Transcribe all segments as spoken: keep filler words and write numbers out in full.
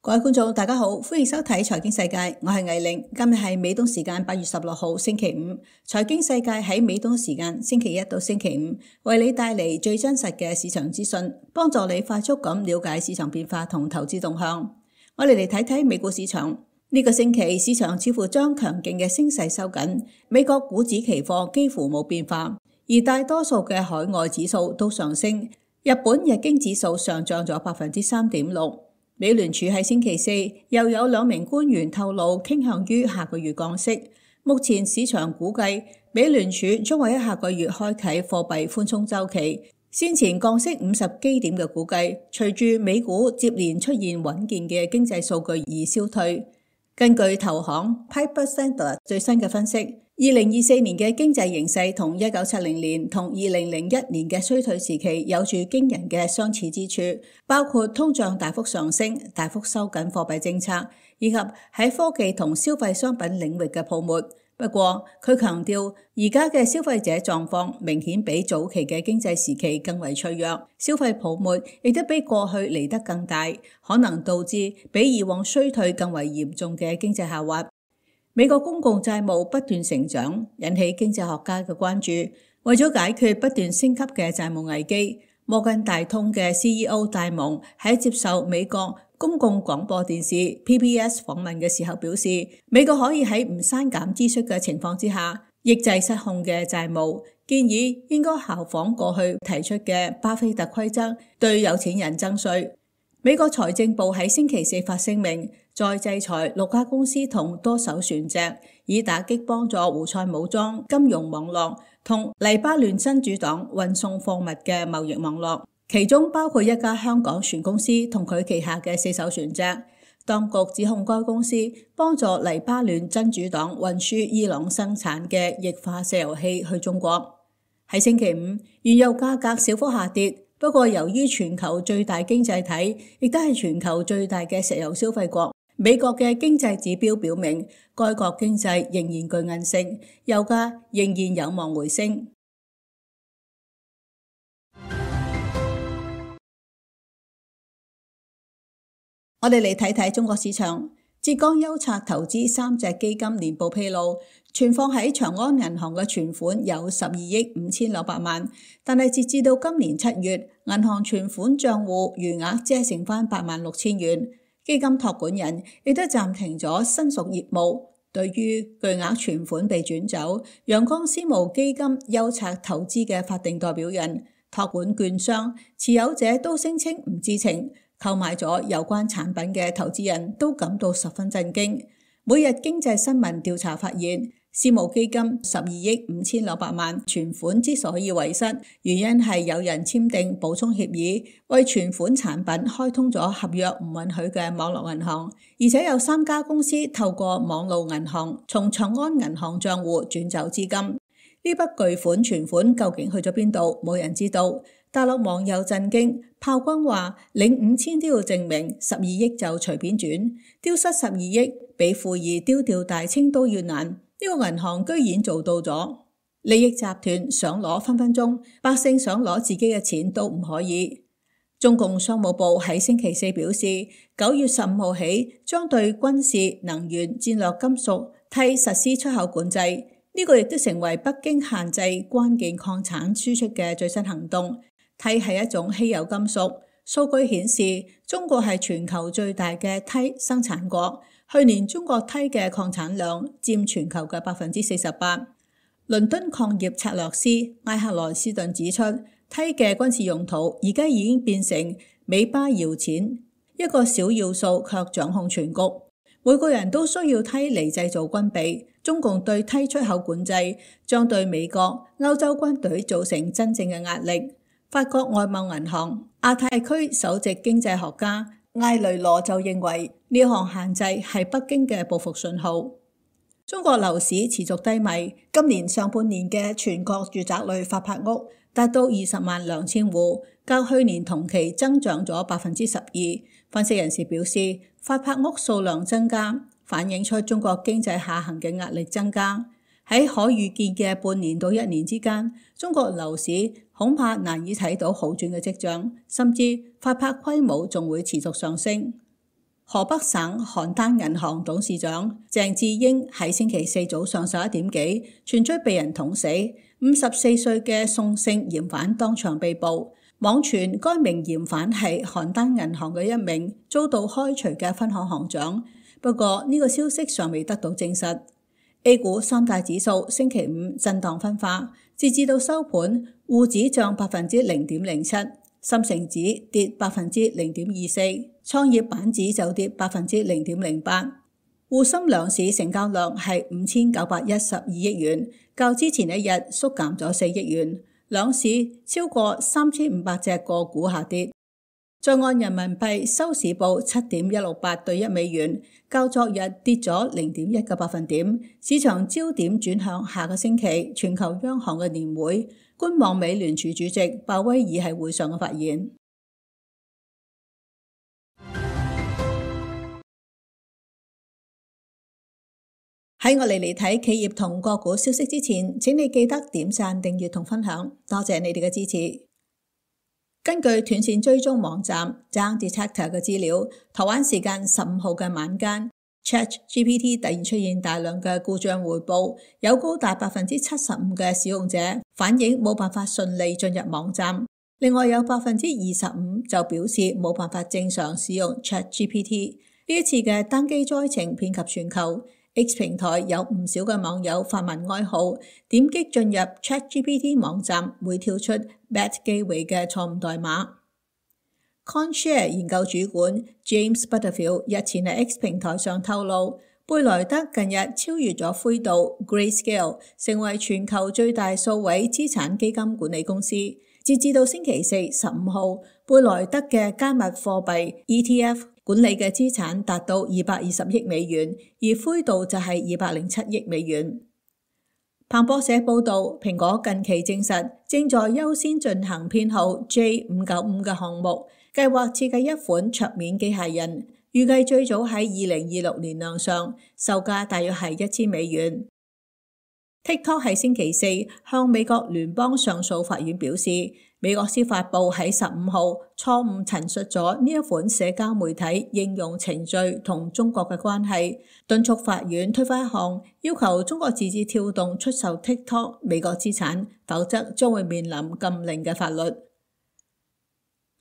各位觀眾，大家好，歡迎收睇財經世界，我係魏玲。今日係美東時間八月十六號星期五，財經世界喺美東時間星期一到星期五為你帶嚟最真實嘅市場資訊，幫助你快速咁了解市場變化同投資動向。我哋嚟睇睇美股市場，呢個星期市場似乎將強勁嘅升勢收緊，美國股指期貨幾乎冇變化，而大多數嘅海外指數都上升。日本日經指數上漲咗百分之三點六。美聯儲喺星期四又有兩名官員透露傾向於下個月降息。目前市場估計美聯儲將會喺下個月開啟貨幣寬鬆週期。先前降息五十基點嘅估計，隨住美股接連出現穩健嘅經濟數據而消退。根據投行 Piper Sandler 最新嘅分析，二零二四年嘅經濟形勢同一九七零年同二零零一年嘅衰退時期有住驚人嘅相似之處，包括通脹大幅上升、大幅收緊貨幣政策，以及喺科技同消費商品領域嘅泡沫。不過，佢強調而家嘅消費者狀況明顯比早期嘅經濟時期更為脆弱，消費泡沫亦都比過去嚟得更大，可能導致比以往衰退更為嚴重嘅經濟下滑。美國公共債務不斷成長，引起經濟學家嘅關注。為咗解決不斷升級嘅債務危機，摩根大通嘅 C E O 戴蒙喺接受美國公共廣播電視 P B S 訪問嘅時候表示，美國可以喺唔刪減支出嘅情況之下，抑制失控嘅債務，建議應該效仿過去提出嘅巴菲特規則，對有錢人徵稅。美國財政部喺星期四發聲明，再制裁六家公司同多艘船隻，以打擊幫助胡塞武裝金融網絡同黎巴嫩真主黨運送貨物嘅貿易網絡，其中包括一家香港船公司同佢旗下嘅四艘船隻。當局指控該公司幫助黎巴嫩真主黨運輸伊朗生產嘅液化石油氣去中國。喺星期五，原油價格小幅下跌。不過，由於全球最大經濟體，亦都係全球最大嘅石油消費國，美國嘅經濟指標表明，該國經濟仍然具韌性，油價仍然有望回升。我哋嚟睇睇中國市場。浙江優策投資三隻基金年報披露，存放喺長安銀行嘅存款有十二億五千六百萬，但係截至到今年七月，銀行存款賬戶餘額只係剩翻八萬六千元。基金託管人亦都暫停咗新屬業務。對於巨額存款被轉走，陽光私募基金優策投資嘅法定代表人、託管券商、持有者都聲稱唔知情。購買咗有關產品嘅投資人都感到十分震驚。每日經濟新聞調查發現，私募基金十二億五千六百萬存款之所以遺失，原因係有人簽訂補充協議，為存款產品開通咗合約唔允許嘅網絡銀行，而且有三家公司透過網路銀行從長安銀行賬戶轉走資金。呢筆巨款存款究竟去咗邊度？冇人知道。大陸網友震驚，炮轟話領五千都要證明，十二億就隨便轉，丟失十二億比富二丟掉大清都要難。呢個銀行居然做到咗，利益集團想攞分分鐘，百姓想攞自己嘅錢都唔可以。中共商務部喺星期四表示，九月十五號起將對軍事、能源、戰略金屬鈦實施出口管制，呢個亦都成為北京限制關鍵礦產輸出嘅最新行動。鈦係一種稀有金屬，數據顯示中國係全球最大嘅鈦生產國。去年中國鈦嘅礦產量佔全球嘅百分之四十八。倫敦礦業策略師埃克萊斯頓指出，鈦嘅軍事用途而家已經變成尾巴搖錢，一個小要素卻掌控全局。每個人都需要鈦嚟製造軍備。中共對鈦出口管制將對美國、歐洲軍隊造成真正嘅壓力。法國外貿銀行亞太區首席經濟學家艾雷羅就認為，呢項限制係北京嘅報復信號。中國樓市持續低迷，今年上半年嘅全國住宅類發拍屋達到二十萬兩千戶，較去年同期增長咗百分之十二。分析人士表示，發拍屋數量增加，反映出中國經濟下行嘅壓力增加。喺可預見嘅半年到一年之間，中國樓市恐怕難以睇到好轉嘅跡象，甚至發拍規模仲會持續上升。河北省邯鄲銀行董事長鄭智英喺星期四早上十一點幾傳出被人捅死，五十四歲嘅宋姓嫌犯當場被捕。網傳該名嫌犯係邯鄲銀行嘅一名遭到開除嘅分行行長，不過呢個消息尚未得到證實。A 股三大指數星期五震盪分化，截至到收盤，滬指漲百分之零點零七，深成指跌百分之零點二四，創業板指就跌百分之零點零八。滬深兩市成交量係五千九百一十二億元，較之前一日縮減咗四億元。兩市超過三千五百隻個股下跌。在岸人民幣收市報七點一六八對一美元，較昨日跌咗零點一個百分點。市場焦點轉向下個星期全球央行嘅年會，觀望美聯儲主席鮑威爾喺會上嘅發言。喺我哋嚟睇企業同個股消息之前，請你記得點讚、訂閱同分享，多謝你哋嘅支持。根據短線追蹤網站 Down Detector 嘅資料，台灣時間十五號嘅晚間 ChatGPT 突然出現大量嘅故障回報，有高達百分之七十五嘅使用者反映冇辦法順利進入網站，另外有百分之二十五就表示冇辦法正常使用 ChatGPT。呢一次嘅單機災情遍及全球。X 平台有唔少嘅網友發文哀號，點擊進入 ChatGPT 網站會跳出 Bad Gateway 嘅錯誤代碼。CoinShare 研究主管 James Butterfield 日前喺 X 平台上透露，貝萊德近日超越咗灰度 Grayscale， 成為全球最大數位資產基金管理公司。截至到星期四十五號，貝萊德嘅加密貨幣 E T F管理嘅資產達到二百二十億美元，而灰度就係二百零七億美元。彭博社報道，蘋果近期證實正在優先進行編號 J 五九五嘅項目，計劃設計一款桌面機械人，預計最早喺二零二六年亮相，售價大約係一千美元。TikTok 喺星期四向美國聯邦上訴法院表示，美國司法部喺十五號錯誤陳述咗呢一款社交媒體應用程序同中國嘅關係，敦促法院推翻一項要求中國字節跳動出售 TikTok 美國資產，否則將會面臨禁令嘅法律。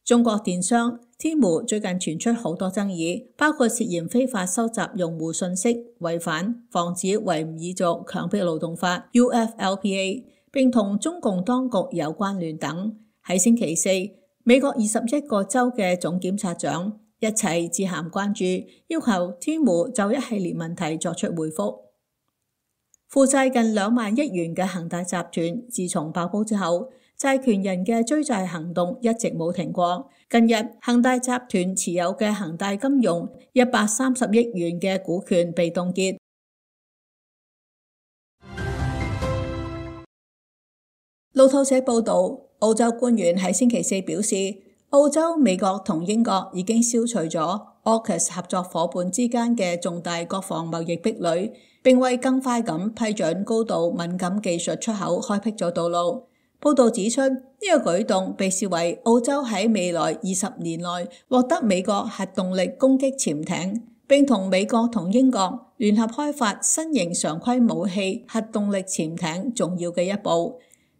中國電商 Temu 最近傳出好多爭議，包括涉嫌非法收集用戶信息、違反防止維吾爾族強迫勞動法 U F L P A， 並同中共當局有關聯等。喺星期四，美國二十一個州嘅總檢察長一齊致函關注，要求 Temu 就一系列問題作出回覆。負債近兩萬億元嘅恒大集團，自從爆煲之後，債權人嘅追債行動一直冇停過。近日，恒大集團持有嘅恒大金融一百三十億元嘅股權被凍結。路透社報道，澳洲官員喺星期四表示，澳洲、美國同英國已經消除咗 AUKUS 合作夥伴之間嘅重大國防貿易壁壘，並為更快咁批准高度敏感技術出口開闢咗道路。報道指出，呢個舉動被視為澳洲喺未來二十年內獲得美國核動力攻擊潛艇，並同美國同英國聯合開發新型常規武器核動力潛艇重要嘅一步。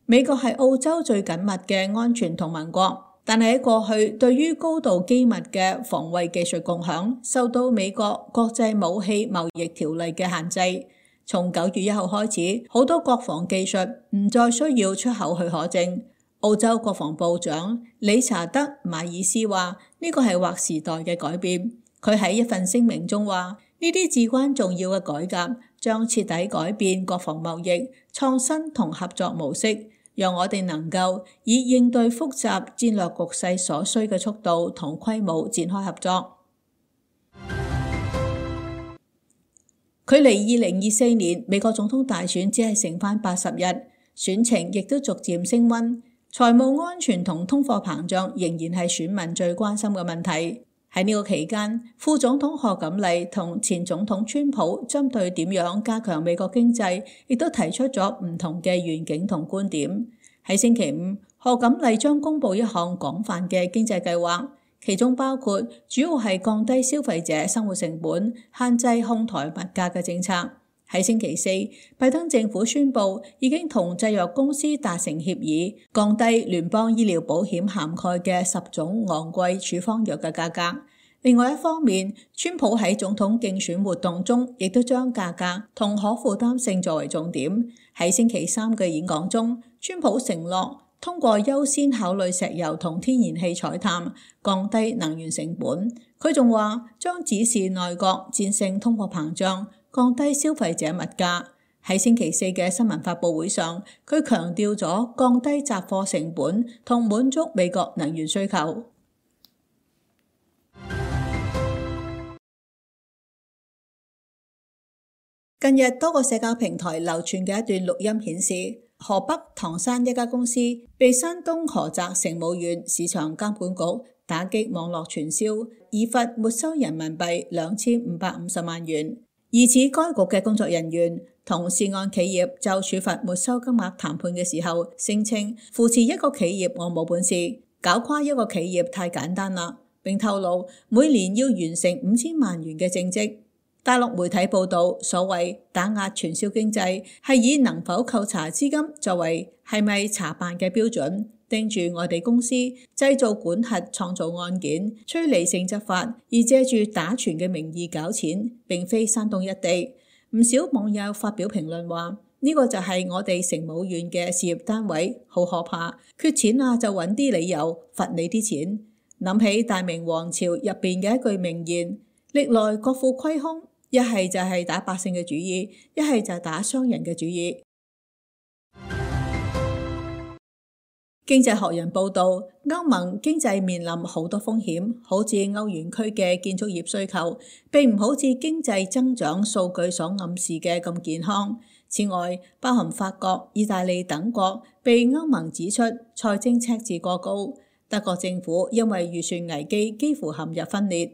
美國係澳洲最緊密嘅安全同盟國，但係喺過去對於高度機密嘅防衛技術共享受到美國國際武器貿易條例嘅限制。從九月一號開始，好多國防技術唔再需要出口許可證。澳洲國防部長理查德·馬爾斯話：呢個係劃時代嘅改變。佢喺一份聲明中話：呢啲至關重要嘅改革將徹底改變國防貿易、創新同合作模式，讓我哋能夠以應對複雜戰略局勢所需嘅速度同規模展開合作。距離二零二四年美國總統大選只係剩返八十日，選情亦都逐漸升溫。財務安全同通貨膨脹仍然係選民最關心嘅問題。喺呢個期間，副總統賀錦麗同前總統川普針對點樣加強美國經濟，亦都提出咗唔同嘅願景同觀點。喺星期五，賀錦麗將公布一項廣泛嘅經濟計劃，其中包括主要係降低消費者生活成本、限制哄抬物價嘅政策。喺星期四，拜登政府宣布已經同製藥公司達成協議，降低聯邦醫療保險涵蓋嘅十種昂貴處方藥嘅價格。另外一方面，川普喺總統競選活動中亦都將價格同可負擔性作為重點。喺星期三嘅演講中，川普承諾通過優先考慮石油同天然氣採探，降低能源成本。佢仲話將指示內閣戰勝通貨膨脹，降低消費者物價。喺星期四嘅新聞發佈會上，佢強調咗降低雜貨成本同滿足美國能源需求。近日多個社交平台流傳嘅一段錄音顯示，河北唐山一家公司被山東菏澤成武縣市場監管局打擊網絡傳銷，已罰沒收人民幣兩千五百五十萬元。疑似該局嘅工作人員同涉案企業就處罰沒收金額談判嘅時候，聲稱扶持一個企業我冇本事，搞垮一個企業太簡單啦，並透露每年要完成五千萬元嘅政績。大陸媒體報道，所謂打壓傳銷經濟係以能否扣查資金作為係咪查辦嘅標準，盯住外地公司製造管轄創造案件，趨利性執法，而借住打傳嘅名義搞錢，並非山東一地。唔少網友發表評論話：呢個就係我哋成武縣嘅事業單位，好可怕，缺錢啊就揾啲理由罰你啲錢。諗起大明王朝入邊嘅一句名言：歷來國庫虧空。一係就係打百姓嘅主意，一係就係打商人嘅主意。經濟學人報道，歐盟經濟面臨好多風險，好似歐元區嘅建築業需求，並唔好似經濟增長數據所暗示嘅咁健康。此外，包含法國、意大利等國被歐盟指出財政赤字過高，德國政府因為預算危機幾乎陷入分裂。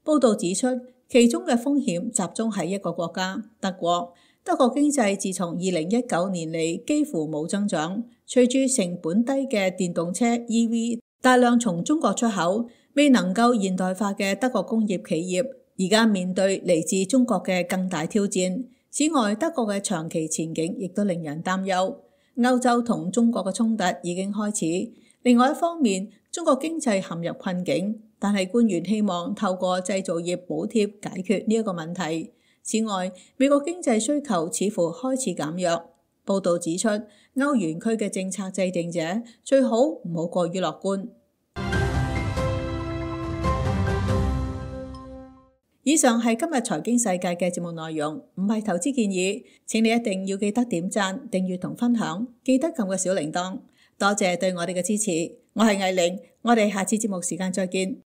報道指出，其中嘅風險集中喺一個國家，德國。德國經濟自從二零一九年嚟幾乎冇增長，隨住成本低嘅電動車 E V 大量從中國出口，未能夠現代化嘅德國工業企業而家面對嚟自中國嘅更大挑戰。此外，德國嘅長期前景亦都令人擔憂。歐洲同中國嘅衝突已經開始。另外一方面，中國經濟陷入困境。但係官員希望透過製造業補貼解決呢一個問題。此外，美國經濟需求似乎開始減弱。報道指出，歐元區嘅政策制定者最好唔好過於樂觀。以上係今日財經世界嘅節目內容，唔係投資建議。請你一定要記得點讚、訂閱同分享，記得撳個小鈴鐺。多謝對我哋嘅支持。我係藝玲，我哋下次節目時間再見。